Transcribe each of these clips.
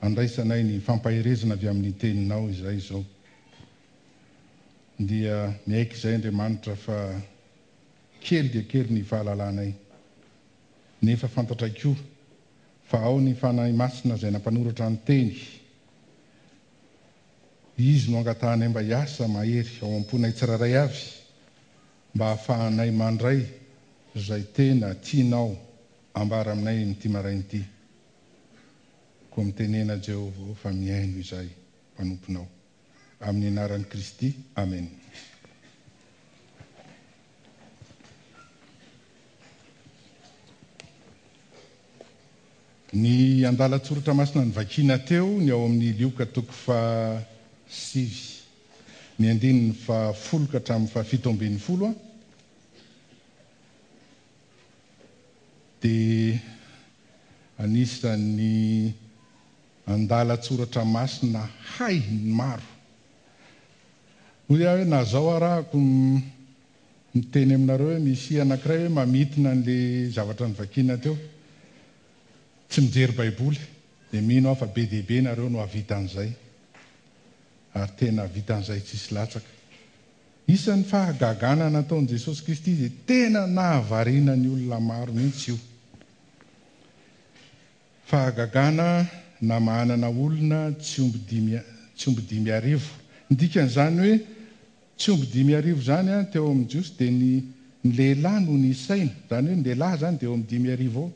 Andraisanay ny fampaherezana avy amin'ny Teninao izay izao. Dia miaiky izay Andriamanitra fa kely dia kely ny fahalalanay. Nefa fantatray koa fa ao ny Fanahy Masina izay nampanoratra ny Teny. Izy no angatahanay mba hiasa mahery ao am-ponay tsirairay avy mba hahafahanay mandray izay tena tianao ambara aminay amin'ity maraina ity. Koa mitenena Jehovah ô fa mihaino izahay mpanomponao. Amin'ny anaran'i Kristy, Amena. Ny andalan-tsoratra masina novakiana teo ny ao amin'ny Lioka toko faha-9, ny andininy faha-10 ka hatramin'ny faha-17 dia anisan'ny andalan-tsoratra masina hay ny maro. Hoy aho hoe na zao arahako miteny aminareo hoe misy anankiray hoe mamintina an'le zavatra novakiana teo, tsy mijery baiboly, dia mino aho fa be dia be nareo no hahavita an'izay, ary tena hahavita an'izay tsisy latsaka. Isan'ny fahagagana nataon'i Jesosy Kristy izay tena nahavariana ny olona maro mihitsy io. Fahagagana namahanana olona tsy omby dimy tsy omby 5000. Ny dikan'izany hoe tsy omby 5000 izany teo amin'ny Jiosy dia ny ny lehilahy no nisaina. Izany hoe ny lehilahy izany dia eo amin'ny 5000 eo.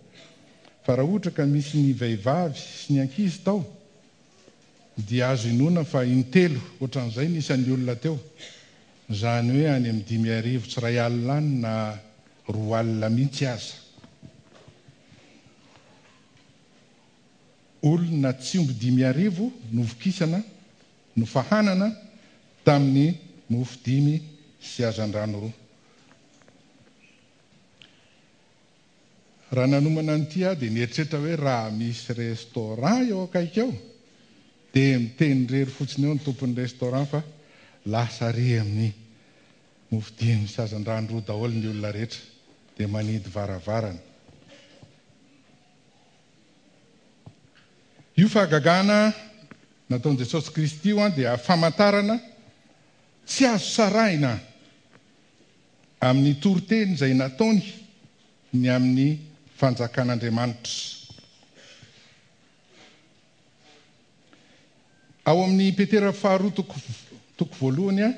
Fa raha ohatra ka misy ny vehivavy sy ny ankizy tao dia azo inoana fa intelo ohatran'izay ny isan'ny olona teo. Izany hoe any amin'ny 5000 tsy iray alina any na 2000 mihitsy aza. Olona tsy omby 5000 novokisana, nofahanana tamin'ny mofo dimy sy hazandrano roa. Raha nanomana an'ity aho dia nieritreritra hoe raha misy restaurant eo akaiky eo dia miteny irery fotsiny eo ny tompon'ny restaurant fa lasa ary amin'ny mofo dimy sy hazandrano roa daholo ny olona rehetra dia manidy varavarana. Io fahagagana nataon'i Jesosy Kristy io dia famantarana tsy azo sarahina amin'ny toriteny izay nataony ny amin'ny fanjakan'Andriamanitra. Ao amin'ny Petera faharoa toko toko voalohany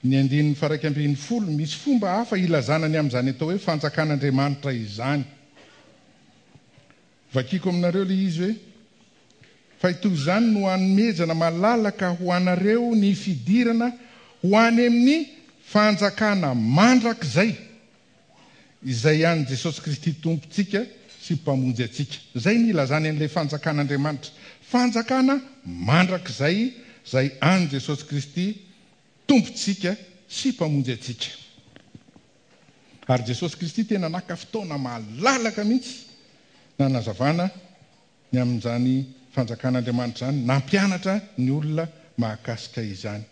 ny andininy faha-11, misy fomba hafa ilazana ny amin'izany atao hoe fanjakan'Andriamanitra izany. Vakiko aminareo ilay izy hoe, Fa toy izany no hanomezana malalaka ho anareo ny fidirana ho any amin'ny fanjakana mandrakizay. Izay an'i Jesosy Kristy Tompontsika sy Mpamonjy antsika. Izay ny ilazany an'ilay Fanjakan'Andriamanitra. Fanjakana mandrakizay izay an'i Jesosy Kristy Tompontsika sy Mpamonjy antsika. Ary Jesosy Kristy tena naka fotoana malalaka mihitsy nanazavana ny amin'izany Fanjakan'Andriamanitra izany, nampianatra ny olona mahakasika izany.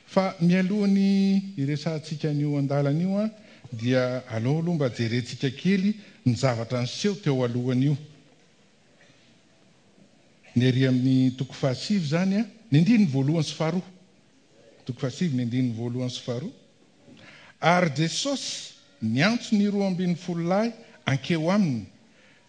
Fa mialoha ny hiresahantsika an'io andalana io dia aleo aloha mba jerentsika kely ny zavatra niseho teo alohan'io. Ny ery amin'ny toko fahasivy izany, ny andininy voalohany sy faharoa. Toko fahasivy, ny andininy voalohany sy faharoa. Ary Jesosy niantso ny 12 lahy hankeo aminy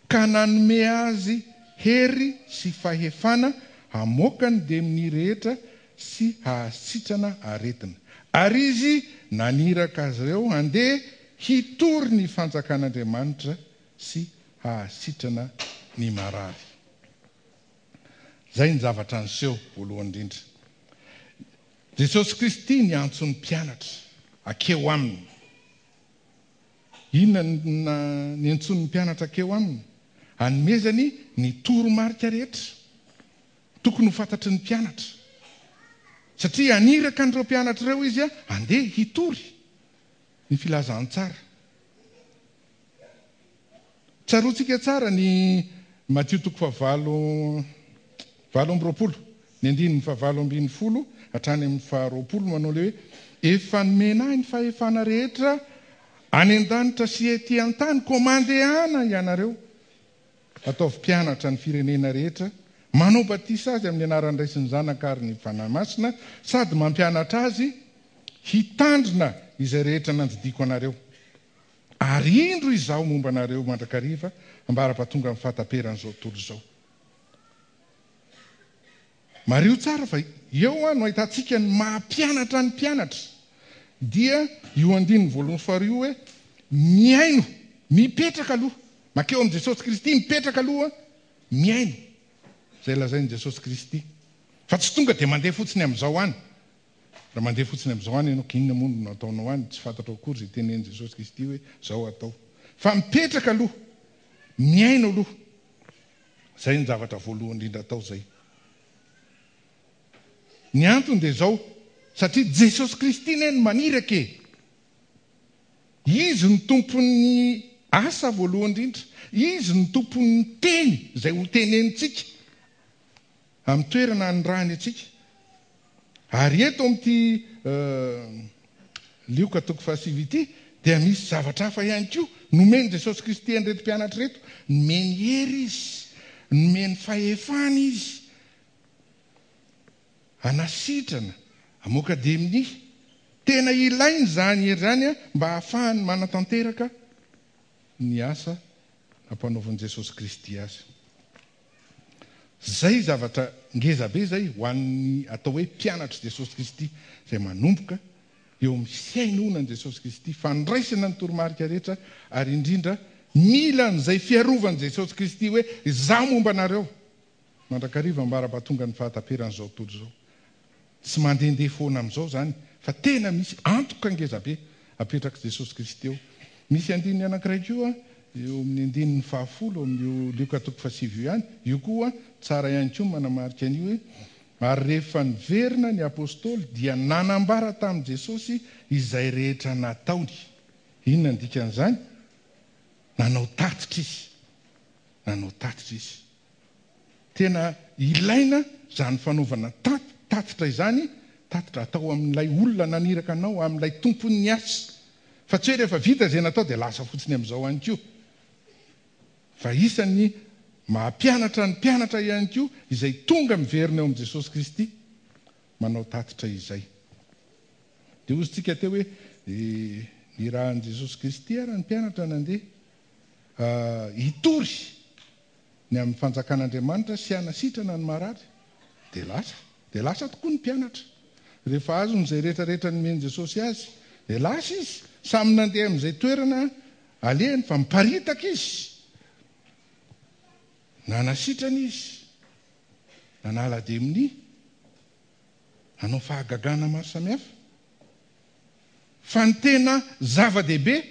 ka nanome azy hery sy fahefana hamoaka ny demonia rehetra sy hahasitrana aretina. Ary izy naniraka azy ireo handeha hitory ny fanjakan'Andriamanitra sy hahasitrana ny marary. Izay ny zavatra niseho voalohany indrindra. Jesosy Kristy niantso ny mpianatra hakeo aminy. Inona no niantsoany ny mpianatra hankeo aminy? Hanomezany ny toromarika rehetra tokony ho fantatry ny mpianatra. Satria haniraka an'ireo mpianatra ireo izy handeha hitory ny filazantsara. Tsaroantsika tsara ny Matio toko fahavalo 28, ny andininy fahavalo ambin'ny folo hatrany amin'ny faharoapolo manao ilay hoe, Efa nomena ahy ny fahefana rehetra any an-danitra sy ety an-tany, koa mandehana ianareo, ataovy mpianatra ny firenena rehetra, Manao batisa azy amin'ny anaran'ny Ray sy ny Zanaka ary ny Fanahy Masina, sady mampianatra azy hitandrina izay rehetra nandidiako anareo. Ary indro Izaho momba anareo mandrakariva ambara-pahatonga amin'ny fahataperan'izao tontolo izao. Mariho tsara fa eo no ahitantsika ny maha mpianatra ny mpianatra. Dia io andininy voalohany faharoa io hoe mihaino, mipetraka aloha, mankeo amin'i Jesosy Kristy, mipetraka aloha, mihaino izay lazain'i Jesosy Kristy. Fa tsy tonga dia mandeha fotsiny amin'izao any. Raha mandeha fotsiny amin'izao any ianao, inona moa no nataonao any? Tsy fantatrao akory izay tenenin'i Jesosy Kristy hoe izao atao. Fa mipetraka aloha, mihaino aloha. Izay ny zavatra voalohany indrindra atao izay. Ny antony dia izao, satria Jesosy Kristy anie no maniraka e! Izy no tompon'ny asa voalohany indrindra. Izy no tompon'ny teny izay ho tenenintsika amin'ny toerana anirahany antsika. Ary eto amin'ity Lioka toko fahasivy ity dia misy zavatra hafa ihany koa nomen'i Jesosy Kristy an'ireto mpianatra ireto. Nomeny hery Izy, nomeny fahefana Izy hanasitrana, hamoaka demonia. Tena ilaina izany hery izany mba hahafahany manatanteraka ny asa nampanaovin'i Jesosy Kristy azy. Izay zavatra ngeza be izay ho an'ny atao hoe mpianatr'i Jesosy Kristy izay manomboka eo amin'ny fihainoana an'i Jesosy Kristy, fandraisana ny toromarika rehetra ary indrindra mila an'izay fiarovan'i Jesosy Kristy hoe izaho momba anareo mandrakariva ambara-pahatongan'ny fahataperan'izao tontolo izao. Tsy mandehandeha foana amin'izao izany fa tena misy antoka ngezabe apetrak'i Jesosy Kristy eo. Misy andininy anankiray koa eo amin'ny andininy fahafolo amin'io Lioka toko fahasivy io ihany. Io koa tsara ihany koa ny manamarika an'io hoe, Ary rehefa niverina ny apostoly dia nanambara tamin'i Jesosy izay rehetra nataony. Inona ny dikan'izany? Nanao tatitra izy. Nanao tatitra izy. Tena ilaina izany fanaovana tatitra izany, tatitra atao amin'ilay olona naniraka anao, amin'ilay tompon'ny asa. Fa tsy hoe rehefa vita izay natao dia lasa fotsiny amin'izao ihany koa. Fa isan'ny maha mpianatra ny mpianatra ihany koa izay tonga miverina eo amin'i Jesosy Kristy manao tatitra izay. Dia hozy tsika teo hoe nirahan'i Jesosy Kristy ary ny mpianatra nandeha hitory ny amin'ny fanjakan'Andriamanitra sy hanasitrana ny marary. Dia lasa. Dia lasa tokoa ny mpianatra. Rehefa azony izay rehetra rehetra nomen'i Jesosy azy, dia lasa izy. Samy nandeha amin'izay toerana alehany fa miparitaka izy. Nanasitrana izy. Nanala demonia. Nanao fahagagana maro samihafa. Fa ny tena zava-dehibe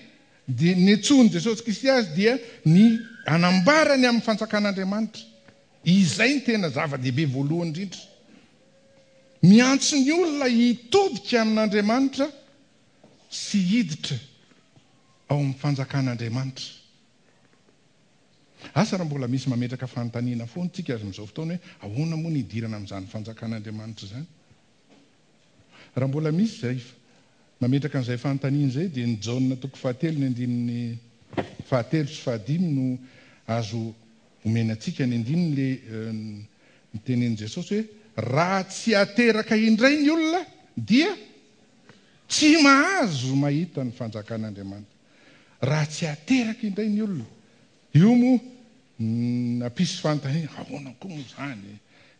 dia niantsoan'i Jesosy Kristy azy dia ny hanambara ny amin'ny fanjakan'Andriamanitra. Izay no tena zava-dehibe voalohany indrindra. Miantso ny olona hitodika amin'Andriamanitra sy hiditra ao amin'ny fanjakan'Andriamanitra. Asa raha mbola misy mametraka fanontaniana foana isika amin'izao fotoana hoe ahoana moa ny hidirana amin'izany fanjakan'Andriamanitra izany? Raha mbola misy izay mametraka an'izay fanontaniana izay dia ny Jaona toko fahatelo ny andininy fahatelo sy fahadimy no azo omena antsika. Ny andininy le nitenenin'i Jesosy hoe raha tsy ateraka indray ny olona dia tsy mahazo mahita ny fanjakan'Andriamanitra. Raha tsy ateraka indray ny olona. Io moa nampisy fanontaniana, ahoana koa moa izany e?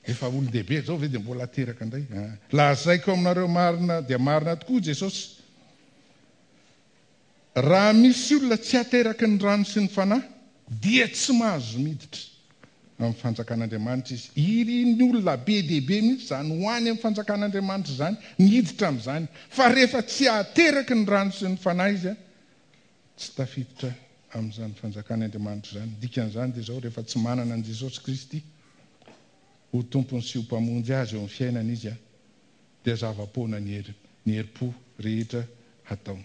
Efa olon-dehibe izao ve dia mbola ateraka indray? Lazaiko aminareo marina dia marina tokoa Jesosy, raha misy olona tsy ateraky ny rano sy ny Fanahy dia tsy mahazo miditra amin'ny fanjakan'Andriamanitra izy. Irin'ny olona be dia be mihitsy izany ho any amin'ny fanjakan'Andriamanitra izany, ny hiditra amin'izany. Fa rehefa tsy ateraky ny rano sy ny Fanahy izy, Tsy tafiditra amin'izany fanjakan' Andriamanitra izany. Ny dikan'izany dia izao, rehefa tsy manana an'i Jesosy Kristy ho Tompony sy ho Mpamonjy azy eo amin'ny fiainany izy, dia zava-poana ny hery, ny herim-po rehetra hataony.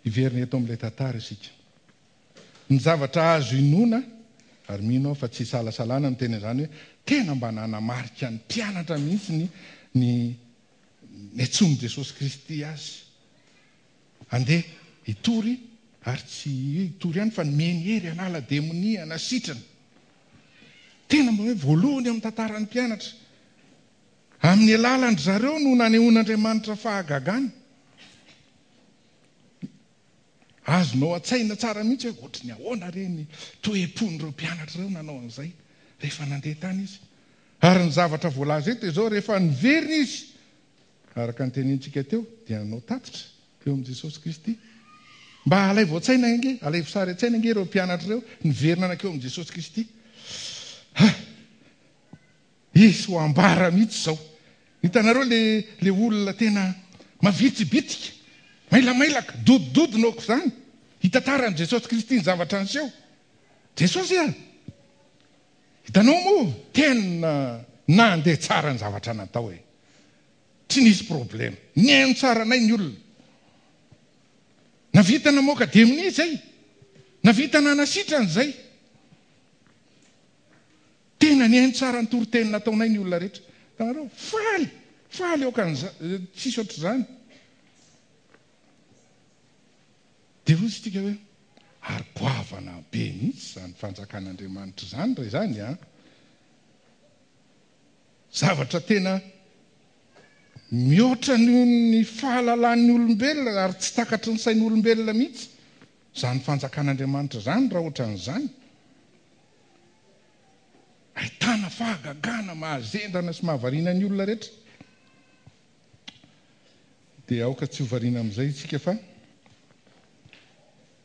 Hiverina eto amin'ilay tantara isika. Ny zavatra azo inoana, ary mino aho fa tsy isalasalana miteny an'izany hoe tena mba nanamarika ny mpianatra mihitsy ny ny Niantsoan'i Jesosy Kristy azy handeha hitory, ary tsy hitory ihany fa nomeny hery hanala demonia, hanasitrana. Tena mba hoe voalohany eo amin'ny tantaran'ny mpianatra. Amin'ny alalan-dry zareo no nanehoan'Andriamanitra fahagagana. Azonao an-tsaina tsara mihitsy hoe ohatry ny ahoana re ny toe-pon'ireo mpianatra ireo nanao an'izay rehefa nandeha tany izy. Ary ny zavatra voalaza eto dia izao, rehefa niverina izy, araka ny tenenintsika teo, dia nanao tatitra teo amin'i Jesosy Kristy. Mba alaivo an-tsaina ange, alaivo sary an-tsaina ange ireo mpianatra ireo niverina nankeo amin'i Jesosy Kristy. Ha! Hisy ho ambara mihitsy izao. Hitanareo le le olona tena mavitribitrika, mailamailaka, dodidodina aok'izany, hitantaran'i Jesosy Kristy ny zavatra niseho. Jesosy a! Hitanao moa, tena nandeha tsara ny zavatra natao e. Tsy nisy problema. Nihaino tsara anay ny olona. Navita namoaka demonia izay. Navita nanasitrana izay. Tena nihaino tsara ny toriteny nataonay ny olona rehetra. Hitanareo? Faly! Faly aoka an'izany, tsisy ohatr'izany. Dia hoy isika hoe, ary goavana be mihitsy izany fanjakan'Andriamanitra izany raha izany an! Zavatra tena mihoatra noho ny fahalalan'ny olombelona ary tsy takatry ny sain'olombelona mihitsy izany fanjakan'Andriamanitra izany raha ohatran'izany. Ahitana fahagagana mahazendana sy mahavariana ny olona rehetra. Dia aoka tsy ho variana amin'izay isika fa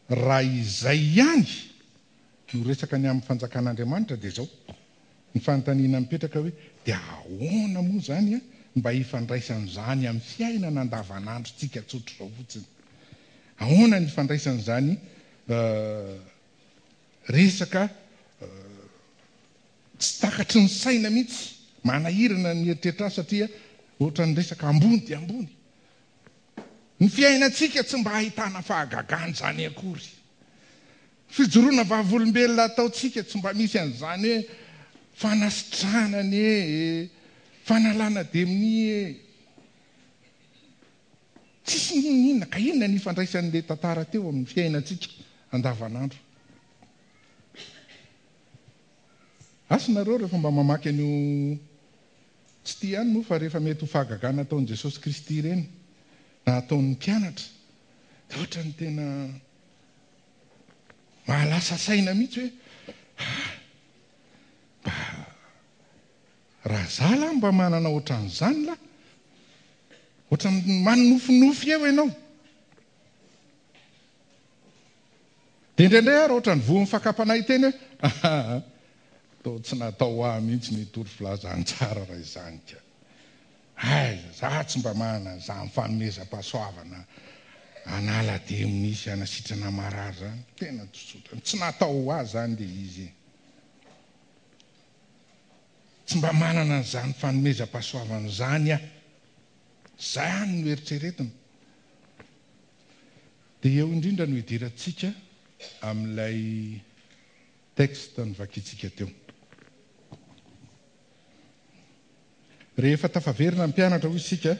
raha izay ihany no resaka ny amin'ny fanjakan'Andriamanitra dia izao ny fanontaniana mipetraka hoe dia ahoana moa izany mba hifandraisan'izany amin'ny fiainana andavanandrontsika tsotr'izao fotsiny? Ahoana ny hifandraisan'izany Resaka tsy takatry ny saina mihitsy, manahirana ny mieritreritra azy satria ohatran'ny resaka ambony dia ambony. Ny fiainantsika tsy mba ahitana fahagagana izany akory. Fijoroana vavolombelona ataontsika tsy mba misy an'izany hoe fanasitranana e, fanalana demonia e. Tsisy n'inon'inona, ka inona ny ifandraisan'ilay tantara teo amin'ny fiainantsika andavanandro? Asa nareo rehefa mba mamaky an'io tsy ity ihany moa fa rehefa mety ho fahagagana ataon'i Jesosy Kristy ireny na ataon'ny mpianatra dia ohatran'ny tena mahalasa saina mihitsy hoe ah, mba Raha za lah mba manana ohatran'izany lah, ohatran'ny manonofinofy eo ianao. Dia indraindray aho raha ohatran'ny voan'ny fakam-panahy hiteny hoe aa, toa tsy natao ho ahy mihitsy ny hitory filazantsara raha izany ka. Aiza, za tsy mba manana an'izany fanomezam-pahasoavana hanala demonia sy hanasitrana marary izany. Tena tsotsotra, tsy natao ho ahy izany ilay izy e. Tsy mba manana an'izany fanomezam-pahasoavana izany aho. Izany no eritreretina. Dia eo indrindra no idirantsika amin'ilay texte novakintsika teo. Rehefa tafaverina ny mpianatra hoy isika,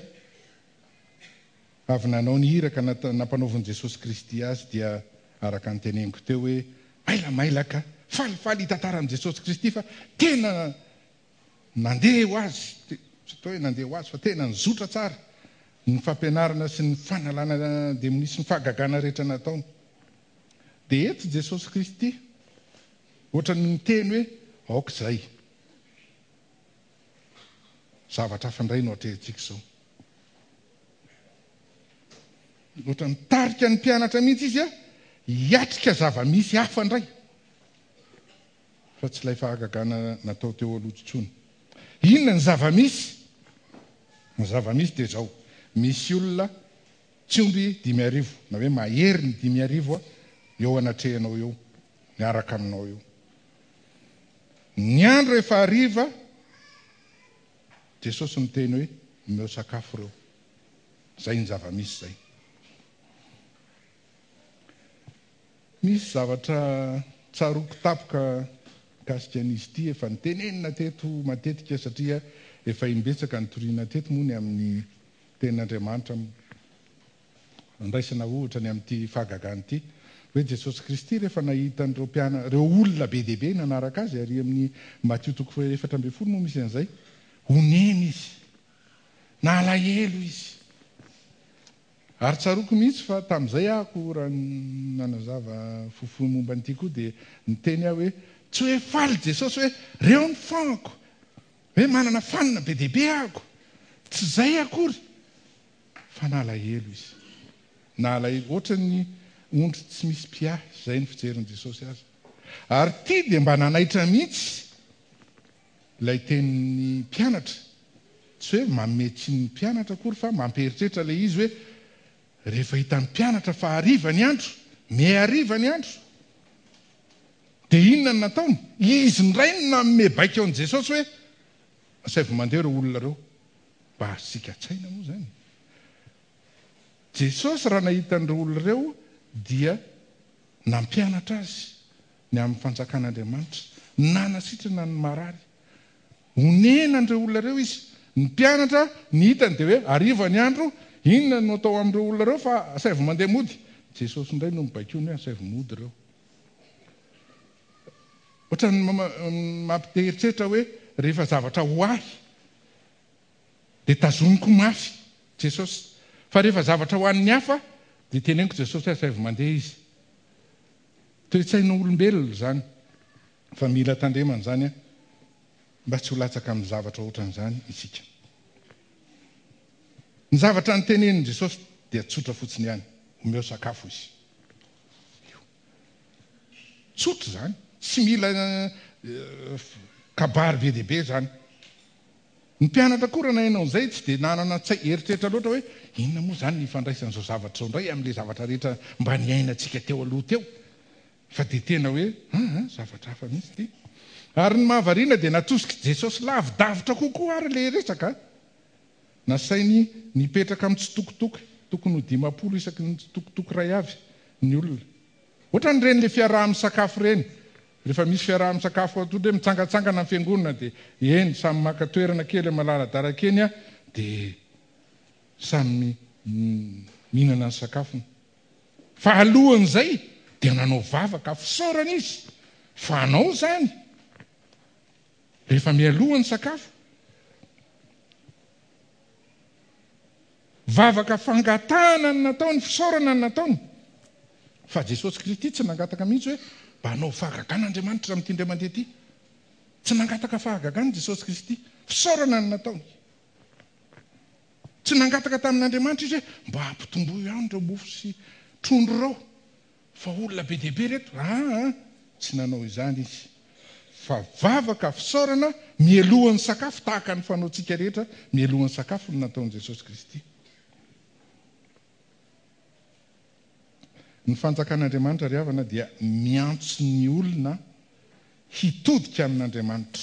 Avy nanao ny iraka nampanaovin'i Jesosy Kristy azy dia araka ny teneniko teo hoe mailamailaka, falifaly hitantara amin'i Jesosy Kristy fa tena nandeha ho azy, tsy atao hoe nandeha ho azy fa tena nizotra tsara ny fampianarana sy ny fanalana demonia sy ny fahagagana rehetra nataony. Dia eto Jesosy Kristy ohatran'ny miteny hoe aoka izay. Zavatra hafa indray no atrehintsika izao. Ohatra nitarika ny mpianatra mihitsy izy hiatrika zava-misy hafa indray fa tsy ilay fahagagana natao teo aloha intsony. Inona ny zava-misy? Ny zava-misy dia izao, misy olona tsy omby 5000 na hoe mahery ny 5000 eo anatrehanao eo, miaraka aminao eo. Ny andro efa hariva, Jesosy miteny hoe omeo sakafo ireo. Izay ny zava-misy izay. Misy zavatra tsaroako tapoka mikasika an'izy ity efa nitenenina teto matetika satria efa imbetsaka nitoriana teto moa ny amin'ny tenin'Andriamanitra andraisana ohatra ny amin'ity fahagagana ity. Hoe Jesosy Kristy rehefa nahita an'ireo mpiana, ireo olona be dia be nanaraka Azy, ary amin'ny Matio toko faha-14 moa misy an'izay, honena Izy. Nalahelo Izy. Ary tsaroako mihitsy fa tamin'izay aho raha nanazava fohifohy momba an'ity koa dia niteny aho hoe tsy hoe faly Jesosy hoe reo ny fan-ko, hoe manana fan be dia be ahako. Tsy izay akory fa nalahelo Izy. Nalahelo ohatran'ny ondry tsy misy mpiahy, izay ny fijerin'i Jesosy azy. Ary ity dia mba nanaitra mihitsy Ilay tenin'ny mpianatra, tsy hoe manome tsiny ny mpianatra akory fa mampieritreritra ilay izy hoe rehefa hitan'ny mpianatra fa hariva ny andro, mihariva ny andro, dia inona no nataony? Izy indray no nanome baiko an'i Jesosy hoe asaivo mandeha ireo olona ireo. Mba azontsika an-tsaina moa izany. Jesosy raha nahita an'ireo olona ireo dia nampianatra azy ny amin'ny fanjakan'Andriamanitra, nanasitrana ny marary. Onena an'ireo olona ireo izy. Ny mpianatra, ny hitany dia hoe hariva ny andro, inona no atao amin'ireo olona ireo fa asaivo mandeha mody. Jesosy indray no mibaikoany hoe asaivo mody ireo. Ohatran'ny mampite-hieritreritra hoe rehefa zavatra ho ahy dia tazomiko mafy Jesosy. Fa rehefa zavatra ho an'ny hafa dia teneniko Jesosy hoe asaivo mandeha izy. Toe-tsaina olombelona izany fa mila tandremana izany mba tsy ho latsaka amin'ny zavatra ohatran'izany isika. Ny zavatra notenenin'i Jesosy dia tsotra fotsiny ihany, omeo sakafo izy. Io. Tsotra izany, tsy mila kabary be dia be izany. Ny mpianatra koa raha naheno an'izay tsy dia nanana eritreritra loatra hoe inona moa izany ny ifandraisan'izao zavatra izao indray amin'ilay zavatra rehetra mba niainantsika teo aloha teo fa dia tena hoe aa zavatra hafa mihitsy ity. Ary ny mahavariana dia natosik'i Jesosy lavidavitra kokoa ary ilay resaka. Nasainy nipetraka mitsitokotoko, tokony ho 50 isaky ny tsitokotoko iray avy ny olona. Ohatran'ireny ilay fiaraha-misakafo ireny. Rehefa misy fiaraha-misakafo ohatra hoe mitsangantsangana ny fiangonana dia eny samy maka toerana kely malaladaraka eny dia samy mihinana ny sakafony. Fa alohan'izay dia nanao vavaka fisaorana izy fa anao izany rehefa mialoha ny sakafo. Vavaka fangatahana no nataony, fisaorana no nataony. Fa Jesosy Kristy tsy nangataka mihitsy hoe mba hanao fahagagana Andriamanitra amin'ity indray mandeha ity. Tsy nangataka fahagagana Jesosy Kristy. Fisaorana no nataony. Tsy nangataka tamin'Andriamanitra izy hoe mba hampitomboy ihany ireo mofo sy trondro ireo. Fa olona be dia be ireto. Aa, tsy nanao izany izy. Fa vavaka fisaorana mialohan'ny sakafo tahaka ny fanaontsika rehetra mialohan'ny sakafo no nataon'i Jesosy Kristy. Ny fanjakan'Andriamanitra ry havana dia miantso ny olona hitodika amin'Andriamanitra,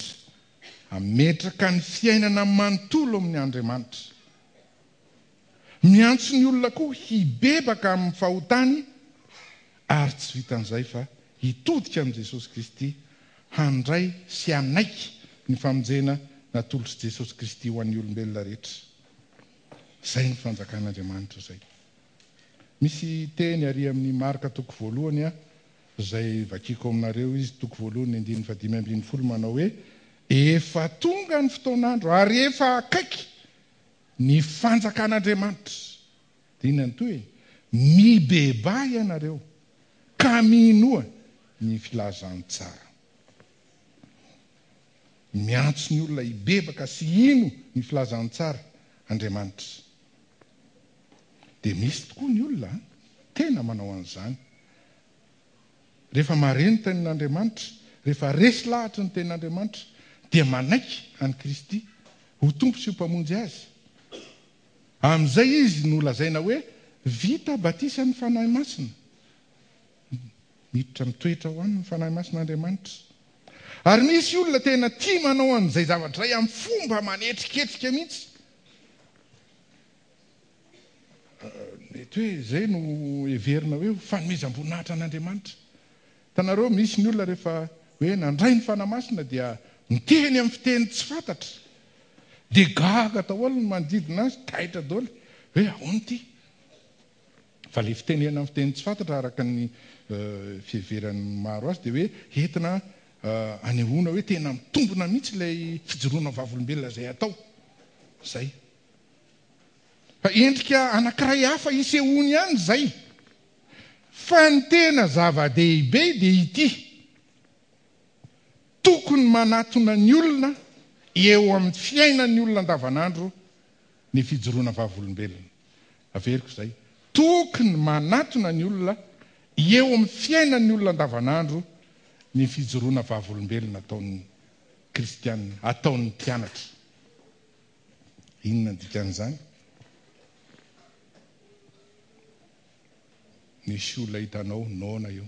hametraka ny fiainana manontolo amin'ny Andriamanitra. Miantso ny olona koa hibebaka amin'ny fahotany ary tsy vitan'izay fa hitodika amin'i Jesosy Kristy handray sy hanaiky ny famonjena natolotr'i Jesosy Kristy ho an'ny olombelona rehetra. Izay ny fanjakan'Andriamanitra izay. Misy teny ary amin'ny Marka toko voalohany izay vakiko aminareo izy, toko voalohany andininy fahadimy ambin'ny folo manao hoe, Efa tonga ny fotoan'andro ary efa akaiky Ny fanjakan'Andriamanitra. Dia inona ny tohiny? Mibebaha ianareo, ka minoa ny filazantsara. Miantso ny olona hibebaka sy hino ny filazantsara Andriamanitra. Dia misy tokoa ny olona tena manao an'izany. Rehefa mahare ny Tenin'Andriamanitra, rehefa resy lahatry ny Tenin'Andriamanitra, dia manaiky an'i Kristy ho Tompo sy ho Mpamonjy azy. Amin'izay izy no lazaina hoe vita batisan'ny Fanahy Masina. Miditra mitoetra ao aminy ny Fanahy Masin'Andriamanitra. Ary misy olona tena tia manao an'izay zavatra izay amin'ny fomba manetriketrika mihitsy. Mety hoe izay no heverina hoe ho fanomezam-boninahitra an'Andriamanitra. Hitanareo, misy ny olona rehefa hoe nandray ny Fanahy Masina dia miteny amin'ny fiteny tsy fantatra. Dia gaga daholo ny manodidina azy, taitra daholo hoe ahoana ity? Fa ilay fitenenana amin'ny fiteny tsy fantatra araka ny fiheveran'ny maro azy dia hoe entina anehoana hoe tena mitombina mihitsy ilay fijoroana vavolombelona izay atao. Izay. Fa endrika anankiray hafa isehoany ihany izay. Fa ny tena zava-dehibe dia ity, tokony manatona ny olona eo amin'ny fiainan'ny olona andavanandro ny fijoroana vavolombelona. Averiko izay, tokony manatona ny olona eo amin'ny fiainan'ny olona andavanandro ny fijoroana vavolombelona ataon'ny kristiana, ataon'ny mpianatra. Inona ny dikan'izany? Nisy olona hitanao noana eo.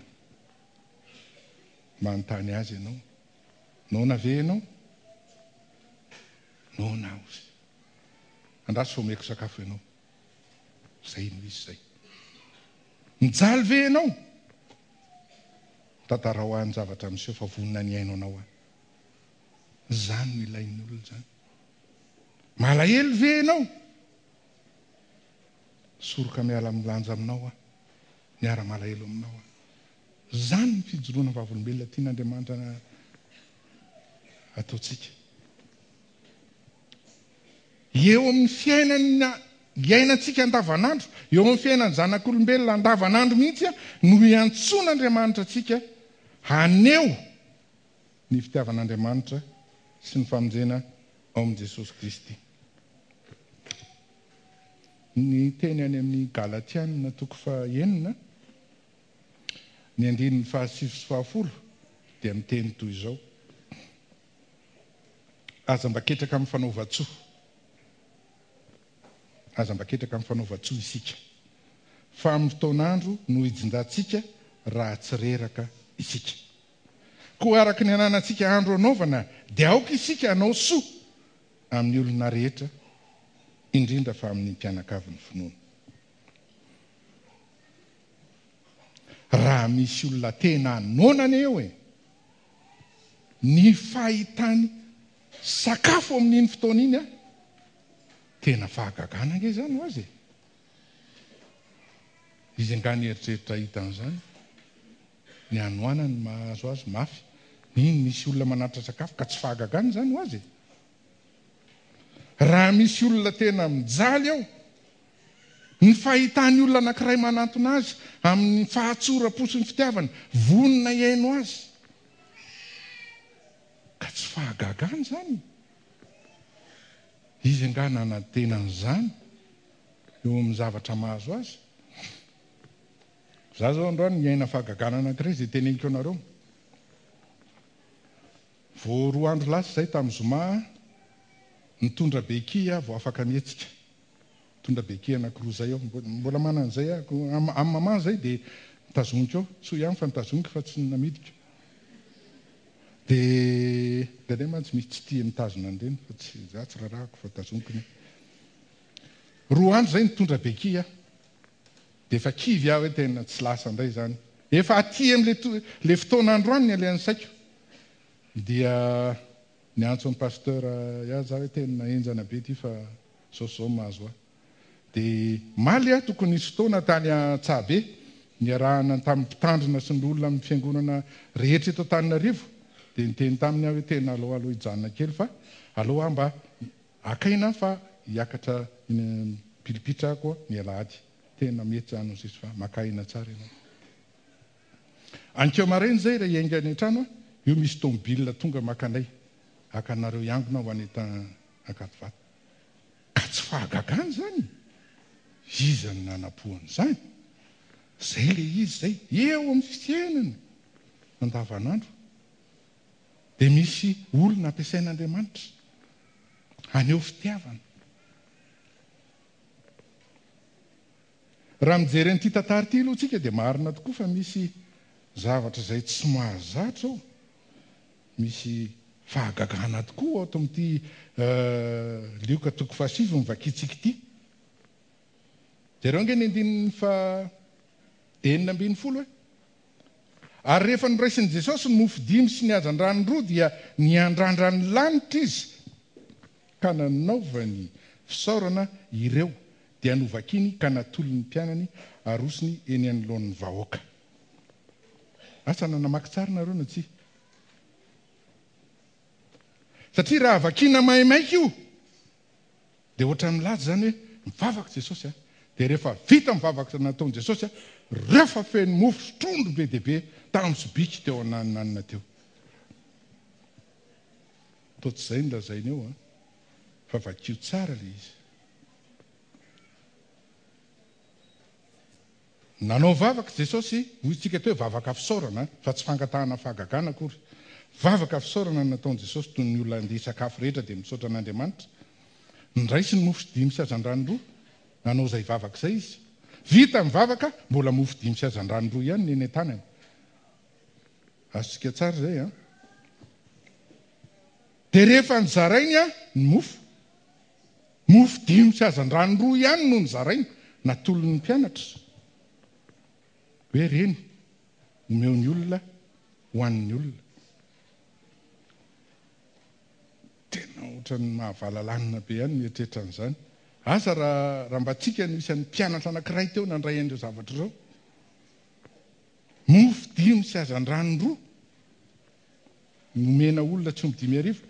Manontany azy ianao. Noana ve ianao? Noana aho izy. Andraso fa omeko sakafo ianao. Izay no izy izay. Mijaly ve ianao? Tantarao ahy ny zavatra miseho fa vonona ny hihaino anao aho. Izany no ilain'ny olona izany. Malahelo ve ianao? Soroka miala amin'ny lanja aminao aho. Miara-malahelo aminao aho. Izany ny fijoroana vavolombelona tian'Andriamanitra ataontsika. Eo amin'ny fiainana iainantsika andavanandro, eo amin'ny fiainan'ny zanak'olombelona andavanandro mihitsy no iantsoan'Andriamanitra antsika haneho ny fitiavan'Andriamanitra sy ny famonjena ao amin'i Jesosy Kristy. Ny teny any amin'ny Galatiana toko fahenina, ny andininy fahasivy sy fahafolo dia miteny toy izao, Aza mba ketraka amin'ny fanaovan-tsoa. Aza mba ketraka amin'ny fanaovan-tsoa isika, fa amin'ny fotoan'andro no hijinjantsika raha tsy reraka isika. Koa araka ny ananantsika andro anaovana dia aoka isika hanao soa amin'ny olona rehetra, indrindra fa amin'ny mpianakavin'ny finoana. Raha misy olona tena noana anie eo e! Ny fahitany sakafo amin'iny fotoana iny an! Tena fahagagana ange izany ho azy e! Izy angaha nieritreritra hahita an'izany? Ny hanoanany mahazo azy mafy. Iny misy olona manatitra sakafo ka tsy fahagagana izany ho azy e! Raha misy olona tena mijaly ao, ny fahitany olona anankiray manantona azy amin'ny fahatsoram-po sy ny fitiavana, vonona hihaino azy. Ka tsy fahagagana izany e! Izy angaha nanantena an'izany eo amin'ny zavatra mahazo azy? Za zao androany niaina fahagagana anankiray izay teneniko anareo. Vao roa andro lasa izay tamin'ny zoma nitondra béquille aho vao afaka nihetsika. Nitondra béquille anankiroa izay aho. Mbola manana an'izay aho. Amin'ny maman izay dia notazoniko eo. Soa ihany fa notazoniko fa tsy namidiko. Dia indraindray mantsy misy tsy tia mitazona an'ireny fa tsy za tsy rarahako fa tazoniko ny ahy. Roa andro izay nitondra béquille aho. Dia efa kivy aho hoe tena tsy lasa indray izany. Efa aty amin'ilay ilay fotoana androany ny alehan'ny saiko. Dia niantso an'i Pasteur ihany za hoe tena henjana be ity fa izao sy izao no mahazo ahy. Dia omaly aho tokony nisy fotoana tany Antsahabe niarahana tamin'ny mpitandrina sy ny olona amin'ny fiangonana rehetra eto Antananarivo. Dia niteny taminy aho hoe tena aleo aloha hijanona kely fa aleo aho mba Haka aina aho fa hiakatra eny am pilipitra aho koa ny alahady. Tena mety zany hozy izy fa maka aina tsara ianao. Anikeo maraina izay raha hiainga any an-trano aho, io misy tomobile tonga maka anay, haka anareo hiangona ho any Ankadivato. Ka tsy fahagagana izany e! Iza no nanampo an'izany? Izay ilay izy izay, eo amin'ny fiainana andavanandro. Dia misy olona ampiasain'Andriamanitra haneho fitiavana. Raha mijery an'ity tantara ity aloha isika dia marina tokoa fa misy zavatra izay tsy mahazatra ao. Misy fahagagana tokoa ato amin'ity Lioka toko fahasivy novakintsika ity. Jereo ange ny andininy faha 16 e. Ary rehefa noraisin'i Jesosy ny mofo dimy sy ny hazandrano roa dia niandrandra ny lanitra Izy ka nanaovany fisaorana ireo dia novakiny ka natolony ny mpianany arosony eny anoloan'ny vahoaka. Asa na namaky tsara nareo na tsia. Satria raha vakiana maimaika io dia ohatran'ny milaza izany hoe mivavaka Jesosy a. Dia rehefa vita ny vavaka nataon'i Jesosy a, reo fa feno mofo sy trondro be dia be tamin'ny sobiky teo ananonanona teo. Toa tsy izay no lazainy eo an, fa vakio tsara ilay izy. Nanao vavaka Jesosy, hoy isika teo hoe vavaka fisaorana fa tsy fangatahana fahagagana akory. Vavaka fisaorana no nataon'i Jesosy toy ny olona handeha hisakafo rehetra dia misaotra an'Andriamanitra. Niraisiny mofo dimy sy hazandrano roa, nanao izay vavaka izay izy. Vita ny vavaka, mbola mofo dimy sy hazandrano roa ihany ny eny an-tanany. Azontsika tsara izay an. Dia rehefa nozarainy ny mofo, mofo dimy sy hazandrano roa ihany no nozarainy, natolony ny mpianatra. Hoe reny, omeo ny olona hohanin'ny olona. Tena ohatran'ny mahavalalanina be ihany mieritreritra an'izany. Asa raha raha mba tsika no isan'ny mpianatra anankiray teo nandray an'ireo zavatra ireo. Mofo dimy sy hazandrano roa nomena olona tsy omby 5000.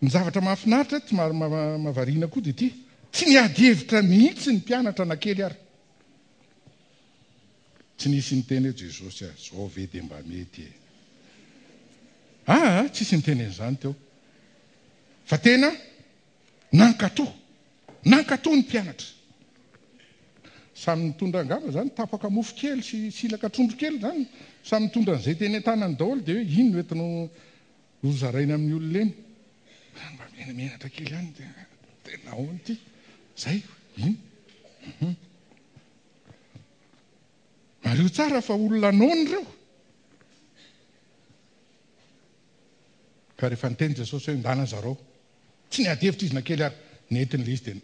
Ny zavatra mahafinaritra eto, mahavariana koa dia ity, tsy niady hevitra mihitsy ny mpianatra na kely ary. Tsy nisy niteny hoe Jesosy a, zao ve dia mba mety e. Aa, tsisy niteny an'izany teo. Fa tena Nankatò. Nankatò ny mpianatra. Samy nitondra angamba izany tapaka mofo kely sy silaka trondro kely izany. Samy nitondra an'izay teny an-tanany daholo dia hoe iny no entinao hozaraina amin'ny olona eny. Mba menamenatra kely ihany dia tena ahoana ity? Izay, iny. Mariho tsara fa olona noana ireo. Ka rehefa niteny Jesosy hoe ndana zarao. Tsy niady hevitra izy na kely ary. Nentiny ilay izy dia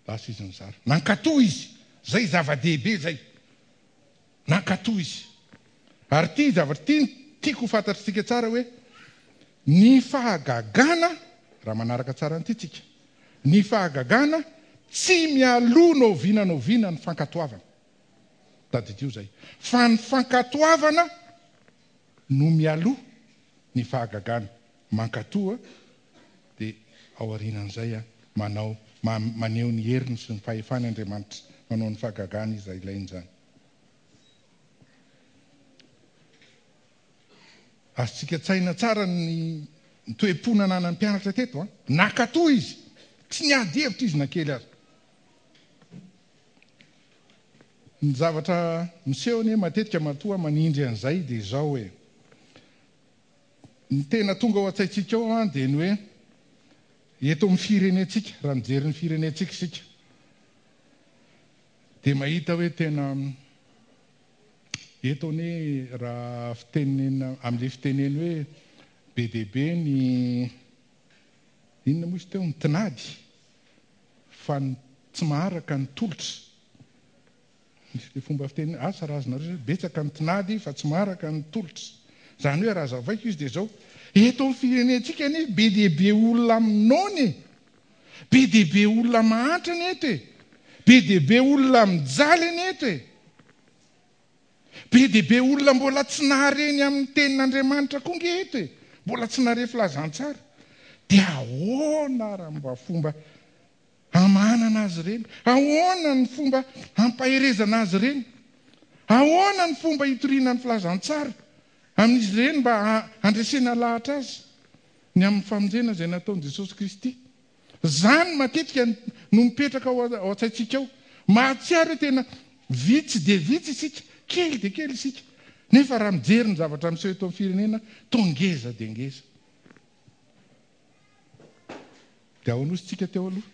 lasa izy nizara. Nankatò izy. Izay zava-dehibe izay. Nankatò izy. Ary ity zavatra ity no tiako ho fantatr'tsika tsara hoe ny fahagagana, raha manaraka tsara an'ity tsika, ny fahagagana tsy mialoha na oviana na oviana ny fankatoavana. Tadidio izay. Fa ny fankatoavana no mialoha ny fahagagana. Mankatoa dia ao aorianan'izay manao, maneho ny heriny sy ny fahefany Andriamanitra, manao ny fahagagana izay ilainy izany. Azontsika an-tsaina tsara ny toe-po nananan'ny mpianatra teto an! Nankatoa izy, tsy niady hevitra izy na kely aza. Ny zavatra miseho anie matetika matoa manindry an'izay dia izao e! Ny tena tonga ao an-tsaintsika ao an dia ny hoe eto amin'ny firenentsika, raha mijery ny firenentsika isika dia mahita hoe tena eto anie raha fitenena amin'ilay fitenena hoe be dia be ny inona moa izy teo ny tinady fa ny tsy maharaka ny tolotra. Misy ilay fomba fiteny hoe, asa raha azonareo izay, betsaka ny tinady fa tsy maharaka ny tolotra. Izany hoe raha azavaiko izy dia izao, eto amin'ny firenentsika anie be dia be olona noana e! Be dia be olona mahantra anie eto e! Be dia be olona mijaly anie eto e! Be dia be olona mbola tsy nahare ny amin'ny tenin'Andriamanitra koa nge eto e! Mbola tsy nahare filazantsara. Dia ahoana raha mba fomba hamahanana azy ireny? Ahoana ny fomba hampaherezana azy ireny? Ahoana ny fomba hitoriana ny filazantsara amin'izy ireny mba handresena lahatra azy ny amin'ny famonjena izay nataon'i Jesosy Kristy? Izany matetika no mipetraka ao an-tsaintsika ao. Mahatsiaro hoe tena vitsy dia vitsy isika, kely dia kely isika. Nefa raha mijery ny zavatra miseho eto amin'ny firenena, toa ngeza dia ngeza. Dia ahoana hozy tsika teo aloha?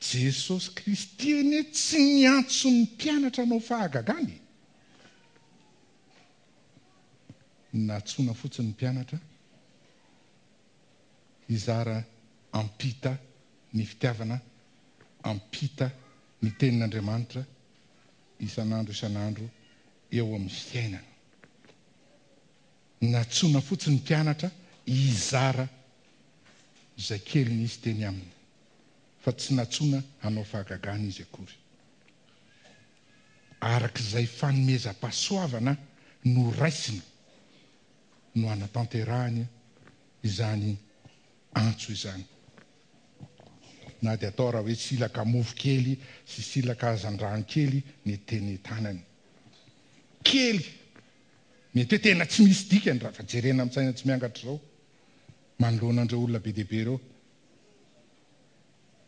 Jesosy Kristy anie tsy niantso ny mpianatra hanao fahagagana e! Nantsoina fotsiny ny mpianatra hizara hampita ny fitiavana, hampita ny tenin'Andriamanitra isan'andro isan'andro eo amin'ny fiainana. Nantsoina fotsiny ny mpianatra hizara izay kely nisy teny aminy, fa tsy nantsoina hanao fahagagana izy akory. Araka izay fanomezam-pahasoavana noraisiny no hanatanterahany izany antso izany. Na dia atao raha hoe silaka mofo kely sy silaka hazandrano kely ny teny tanany. Kely! Mety hoe tena tsy misy dikany raha fa jerena amin'ny saina tsy miangatra izao manoloana an'ireo olona be dia be ireo.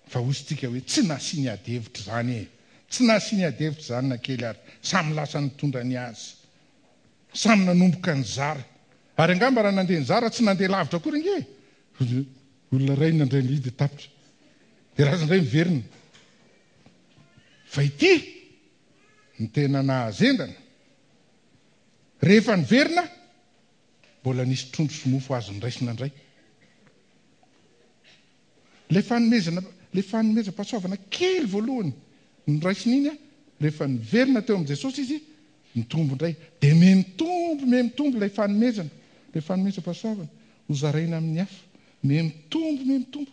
Fa hoy isika hoe tsy nasiany ady hevitra izany e! Tsy nasiany ady hevitra izany na kely ary. Samy lasa nitondra ny azy. Samy nanomboka nizara. Ary angamba raha nandeha nizara tsy nandeha lavitra akory ange e! Olona iray nandray ny dia tapitra. Dia lasa indray miverina. Fa ity no tena nahazendana. Rehefa niverina, mbola nisy trondro sy mofo azo noraisina indray. Ilay fanomezana, ilay fanomezam-pahasoavana kely voalohany noraisiny iny, rehefa niverina teo amin'i Jesosy izy, nitombo indray. Dia mihamitombo, mihamitombo ilay fanomezana, ilay fanomezam-pahasoavana hozaraina amin'ny hafa. Mihamitombo, mihamitombo.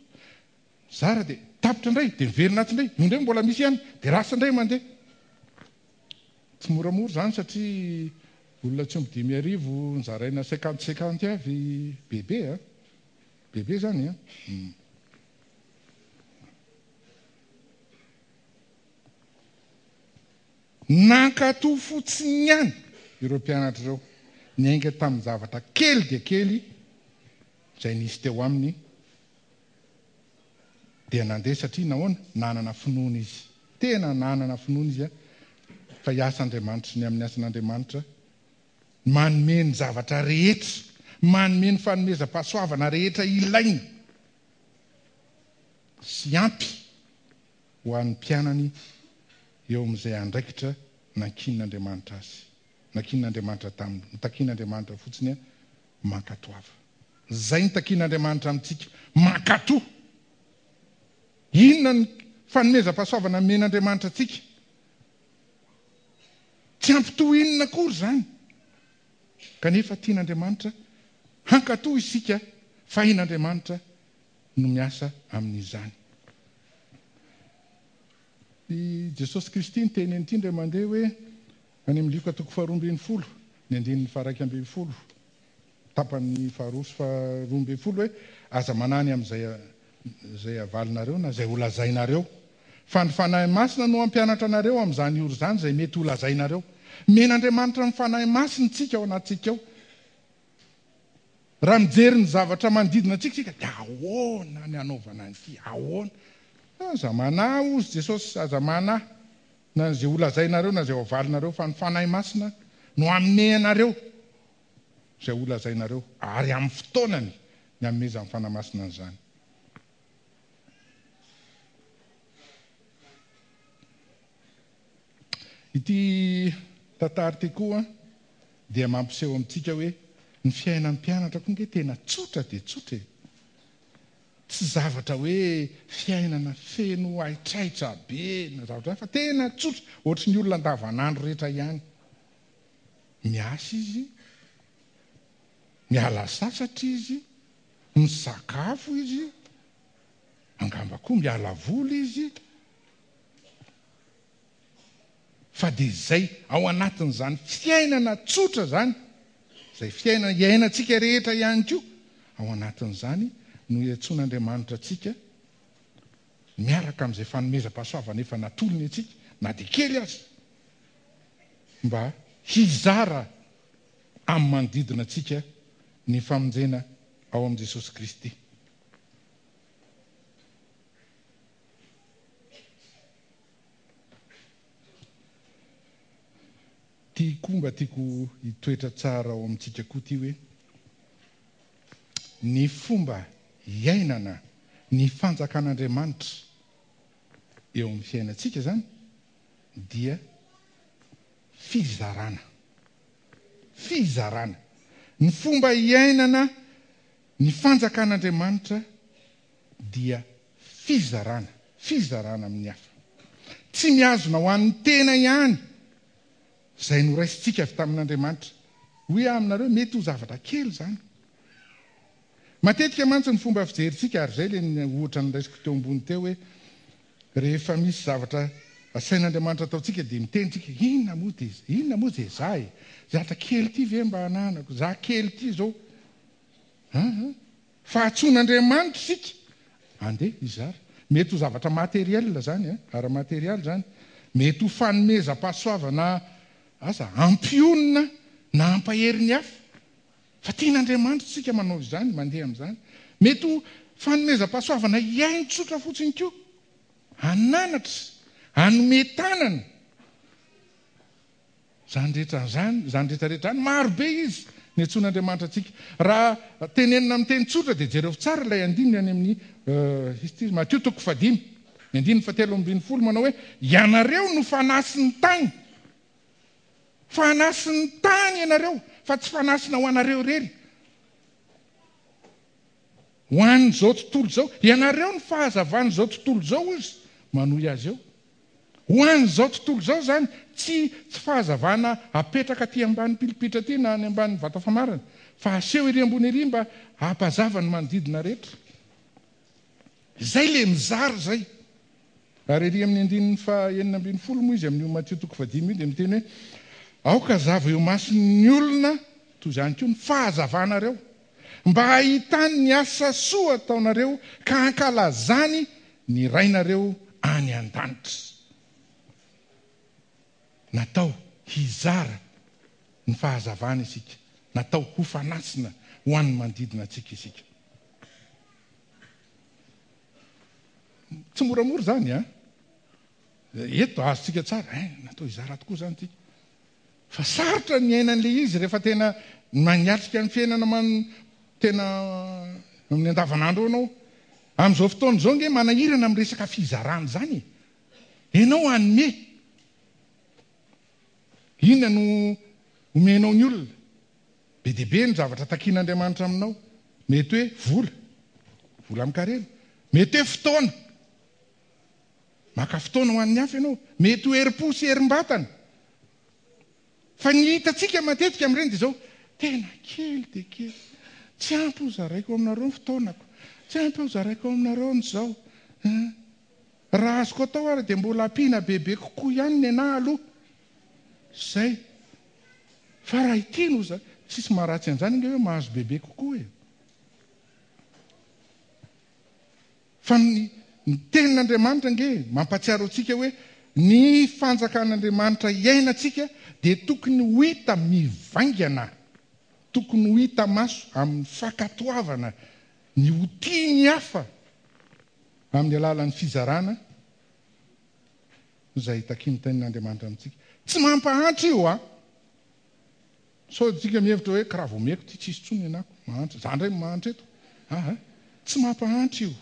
Mizara dia tapitra indray, dia miverina atsy indray, io indray mbola misy ihany, dia lasa indray mandeha. Tsy moramora izany satria olona tsy omby 5000 nozaraina cinquante cinquante avy bebe a. Bebe izany an. Nankatò fotsiny ihany ireo mpianatra ireo, niainga tamin'ny zavatra kely dia kely izay nisy teo aminy, dia nandeha satria nahoana? Nanana finoana izy. Tena nanana finoana izy fa hiasa Andriamanitra, ny amin'ny asan'Andriamanitra, manome ny zavatra rehetra, manome ny fanomezam-pahasoavana rehetra ilaina sy ampy ho an'ny mpianany eo amin'izay andraikitra nankinin'Andriamanitra azy, nankinin'Andriamanitra taminy. Ny takian'Andriamanitra fotsiny, mankatoava. Izay ny takian'Andriamanitra amintsika, mankatò. Inona ny fanomezam-pahasoavana nomen'Andriamanitra antsika? Tsy ampy toy inona akory izany. Kanefa tian'Andriamanitra hankatò isika, fahin'Andriamanitra no miasa amin'izany. I Jesosy Kristy niteny an'ity indray mandeha hoe, any amin'ny Lioka toko faharoa ambin'ny folo, ny andininy faha-11, tapany faharoa sy faharoa ambin'ny folo hoe, Aza manahy ny amin'izay izay havalinareo na izay holazainareo, fa ny Fanahy Masina no hampianatra anareo amin'izany ora izany izay mety holazainareo. Omen'Andriamanitra ny Fanahy Masina isika ao anatintsika ao. Raha mijery ny zavatra manodidina antsika isika dia ahoana ny hanaovana an'ity? Ahoana? Aza manahy hozy Jesosy, aza manahy na izay holazainareo na izay hoavalinareo fa ny Fanahy Masina no hanome anareo izay holazainareo ary amin'ny fotoanany ny hanomezan'ny Fanahy Masina an'izany. Ity tantara ity koa dia mampiseho amintsika hoe ny fiainan'ny mpianatra koa ange tena tsotra dia tsotra e! Tsy zavatra hoe fiainana feno haitraitra be na zavatra hafa fa tena tsotra, ohatry ny olona andavanandro rehetra ihany. Miasa izy, miala sasatra izy, misakafo izy, angamba koa miala voly izy. Fa dia izay ao anatin'izany fiainana tsotra izany, izay fiainana iainantsika rehetra ihany koa, ao anatin'izany no iantsoan'Andriamanitra antsika miaraka amin'izay fanomezam-pahasoavana efa natolony antsika, na dia kely aza, mba hizara amin'ny manodidina antsika ny famonjena ao amin'i Jesosy Kristy. Ty koa mba tiako hitoetra tsara ao amintsika koa ty hoe, ny fomba iainana ny fanjakan'Andriamanitra eo amin'ny fiainantsika izany dia fizarana. Fizarana. Ny fomba iainana ny fanjakan'Andriamanitra dia fizarana, fizarana amin'ny hafa. Tsy mihazona ho an'ny tena ihany izay noraisintsika avy tamin'Andriamanitra. Hoy aho aminareo, mety ho zavatra kely izany. Matetika mantsy ny fomba fijerintsika, ary izay ilay ohatra noraisiko teo ambony teo hoe rehefa misy zavatra asain'Andriamanitra ataontsika dia miteny tsika, inona moa dia, inona moa izay za e? Zatra kely ity ve mba ananako? Za kely ity izao. Aa. Fa antsoin'Andriamanitra isika andeha hizara. Mety ho zavatra matériel izany an, ara-materialy izany. Mety ho fanomezam-pahasoavana aza hampionona na hampahery ny hafa. Fa tian'Andriamanitra isika manao izany, mandeha amin'izany. Mety ho fanomezam-pahasoavana hihaino tsotra fotsiny koa. Hananatra, hanome tanana. Izany rehetra izany, izany rehetra rehetra izany, maro be izy niantsoan'Andriamanitra antsika. Raha tenenina amin'ny teny tsotra dia jereo tsara ilay andininy any amin'ny izy ity, Matio toko fahadimy, ny andininy fahatelo ambin'ny folo manao hoe, Ianareo no fanasin'ny tany. Fanasin'ny tany ianareo, fa tsy fanasina ho anareo irery. Ho an'izao tontolo izao. Ianareo no fahazavan'izao tontolo izao, hoy izy, manohy azy eo. Ho an'izao tontolo izao izany, tsy tsy fahazavana apetraka aty ambany pilipitra aty na any ambany vata famarana, fa aseho ery ambony ery mba hampazava ny manodidina rehetra. Izay ilay mizara izay. Ary ery amin'ny andininy faha 16 moa izy amin'io Matio toko fahadimy io dia miteny hoe, Aoka hazava eo imason'ny olona toy izany koa ny fahazavanareo, mba hahitany ny asa soa ataonareo ka hankalazany ny Rainareo any an-danitra. Natao hizara ny fahazavana isika, natao ho fanasina ho an'ny manodidina antsika isika. Tsy moramora izany an! Eto azontsika tsara, hein, natao hizara tokoa izany isika. Fa sarotra ny miaina an'ilay izy rehefa tena maniatrika ny fiainana man tena amin'ny andavanandro eo ianao. Amin'izao fotoana izao ange manahirana amin'ny resaka fizarana izany e. Ianao hanome. Inona no omenao ny olona? Be dia be ny zavatra takian'Andriamanitra aminao. Mety hoe vola, vola amin-karena. Mety hoe fotoana. Maka fotoana ho an'ny hafa ianao. Mety ho herim-po sy herim-batana. Fa ny hitantsika matetika amin'ireny dia izao, tena kely dia kely. Tsy ampy ho zaraiko aminareo ny fotoanako. Tsy ampy ho zaraiko aminareo ny izao. Raha azoko atao ary dia mbola ampiana bebe kokoa ihany ny anah aloha. Izay. Fa raha ity no za, tsisy maharatsy an'izany ange hoe mahazo bebe kokoa e. Fa ny ny Tenin'Andriamanitra ange mampahatsiaro antsika hoe ny fanjakan'Andriamanitra iainantsika dia tokony ho hita mivaingana, tokony ho hita maso amin'ny fankatoavana ny ho tia ny hafa amin'ny alalan'ny fizarana izay takian'ny Tenin'Andriamanitra amintsika. Tsy mampahantra io an! Sao tsika mihevitra hoe kiraha vao omeko ity tsisy tsony nenako mahantra, za ndray mahantra eto aa tsy mampahantra io,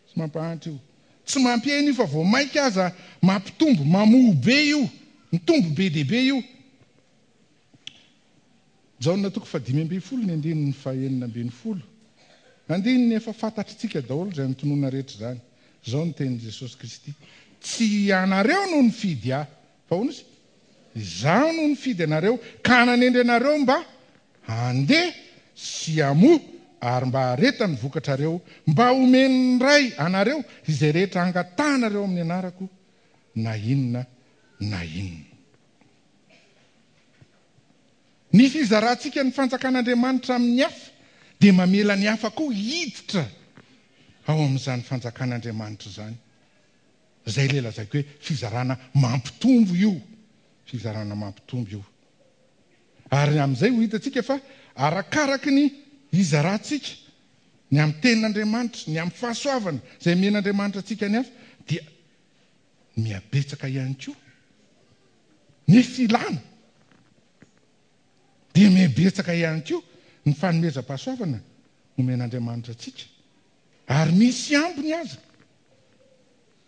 tsy mampahantra io, tsy mampihena io fa vao maika aza mampitombo, mamoha be io, mitombo be dia be io. Jaona toko faha-15 ny andininy faha-16, andininy efa fantatritsika daholo izay notononina rehetra izany, izao no tenin'i Jesosy Kristy, Tsy ianareo no nifidy ahy, Fa hono izy, Izaho no nifidy anareo ka nanendry anareo mba handeha sy hamoa ary mba hahareta ny vokatrareo, mba homen'ny Ray anareo izay rehetra angatahanareo amin'ny anarako, na inona na inona. Ny fizarantsika ny fanjakan'Andriamanitra amin'ny hafa dia mamela ny hafa koa hiditra ao amin'izany fanjakan'Andriamanitra izany. Izay ilay lazaiko hoe fizarana mampitombo io, fizarana mampitombo io. Ary amin'izay ho hitantsika fa arakaraky ny hizarantsika ny amin'ny tenin'Andriamanitra, ny amin'ny fahasoavana izay omen'Andriamanitra antsika ny hafa, dia mihabetsaka ihany koa ny filana, dia mihabetsaka ihany koa ny fanomezam-pahasoavana omen'Andriamanitra antsika. Ary misy ambiny aza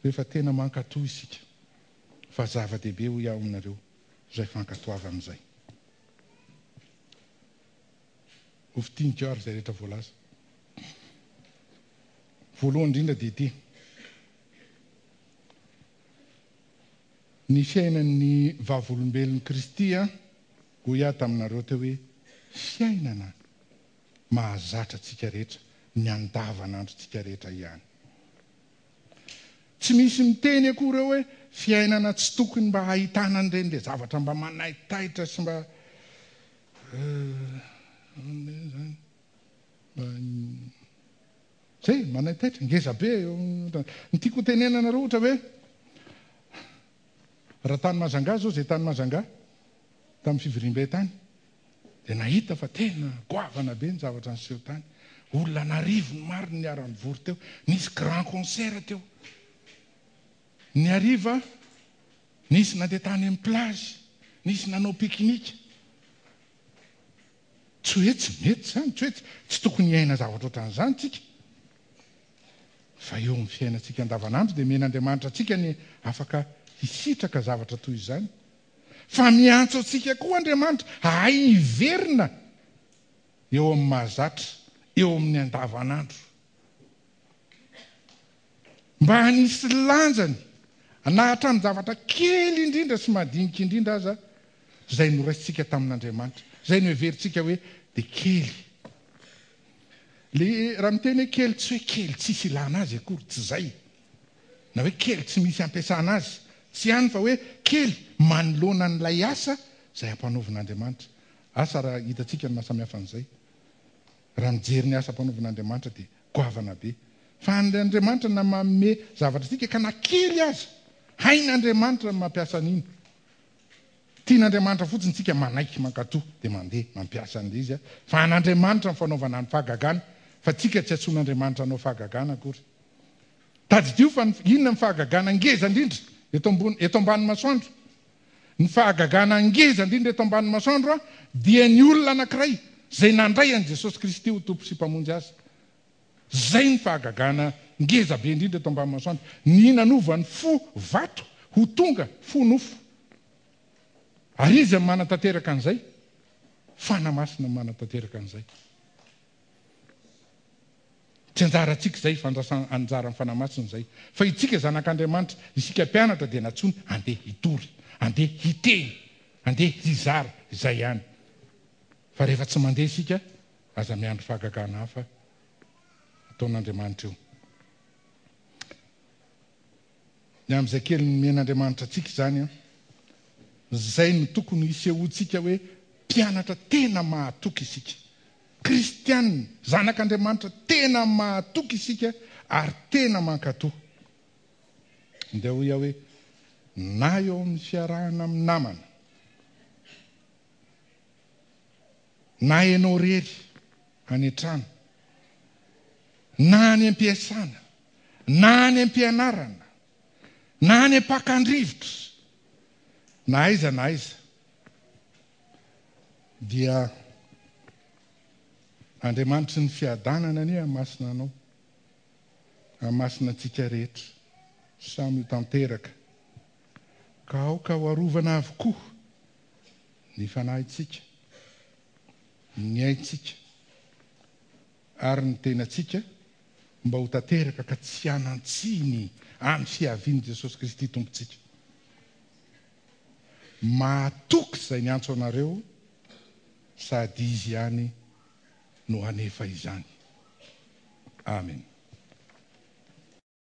rehefa tena mankatò isika. Fa zava-dehibe hoy aho aminareo izay fankatoavana izay. Ho fintiniko ary izay rehetra voalaza. Voalohany indrindra dia ity. Ny fiainan'ny vavolombelon'i Kristy, hoy aho taminareo teo hoe fiainana mahazatra antsika rehetra, ny andavanandrontsika rehetra ihany. Tsy misy miteny akory eo hoe fiainana tsy tokony mba hahitana an'ireny le zavatra mba manaitaitra sy mba zany mba zay manaitaitra ngeza be eo. Ny tiako ho tenenana anareo ohatra hoe raha tany Majunga zao zay tany Majunga tamin'ny fivoriambe tany dia nahita fa tena goavana be ny zavatra niseho tany. Olona an'arivony maro no niara-nivory teo. Nisy grand concert teo. Ny hariva, nisy nandeha tany amin'ny plage, nisy nanao pique-nique. Tsy hoe tsy mety izany, tsy hoe tsy tokony hiaina zavatra ohatran'izany tsika. Fa eo amin'ny fiainantsika andavanandro dia omen'Andriamanitra antsika ny afaka hisitraka zavatra toy izany. Fa miantso antsika koa Andriamanitra hahay hiverina eo amin'ny mahazatra, eo amin'ny andavanandro. Mba hanisy lanjany na hatramin'ny zavatra kely indrindra sy madinika indrindra aza izay noraisintsika tamin'Andriamanitra, izay noheverintsika hoe dia kely. Le raha miteny hoe kely tsy hoe kely tsisy ilana azy akory, tsy izay. Na hoe kely tsy misy ampiasana azy, tsy ihany fa hoe kely manoloana an'ilay asa izay ampanaovin'Andriamanitra. Asa raha hitantsika ny mahasamihafa an'izay. Raha mijery ny asa ampanaovin'Andriamanitra dia goavana be. Fa an'ilay Andriamanitra na manome zavatra antsika ka na kely aza, hain'Andriamanitra ny mampiasa an'iny. Tian'Andriamanitra fotsiny tsika manaiky mankato dia mandeha mampiasa an'ilay izy fa an'Andriamanitra ny fanaovana ny fahagagana fa tsika tsy antsoin'Andriamanitra hanao fahagagana akory. Tadidio fa ny inona ny fahagagana ngeza indrindra eto ambony eto ambany masoandro? Ny fahagagana ngeza indrindra eto ambany masoandro dia ny olona anankiray izay nandray an'i Jesosy Kristy ho Tompo sy Mpamonjy azy. Izay ny fahagagana ngeza be indrindra eto ambany masoandro. Ny nanova ny fo vato ho tonga fo nofo. Ary iza no manatanteraka an'izay? Fanahy Masina no manatanteraka an'izay. Tsy anjarantsika izay, fa anjaran'ny Fanahy Masina izay. Fa itsika zanak'Andriamanitra, isika mpianatra dia nantsoina handeha hitory, handeha hiteny, handeha hizara, izay ihany. Fa rehefa tsy mandeha isika, aza miandry fahagagana hafa ataon'Andriamanitra eo. Ny amin'izay kely nomen'Andriamanitra antsika izany an, izay no tokony hisehoantsika hoe mpianatra tena mahatoky isika. Kristiana, zanak'Andriamanitra tena mahatoky isika ary tena mankatò. Ndeha hoy aho hoe, na eo amin'ny fiarahana amin'ny namana, na ianao irery any an-trano, na any am-piasana, na any am-pianarana, na any am-pakan-drivotra, na aiza na aiza, dia Andriamanitry ny fiadanana anie hamasina anao, hamasina antsika rehetra, samy ho tanteraka, ka aoka ho arovana avokoa ny fanahintsika, ny aintsika ary ny tenantsika mba ho tanteraka ka tsy hanan-tsiny amin'ny fiavian'i Jesosy Kristy Tompontsika. Mahatoky izay niantso anareo sady Izy ihany no hanefa izany. Amen.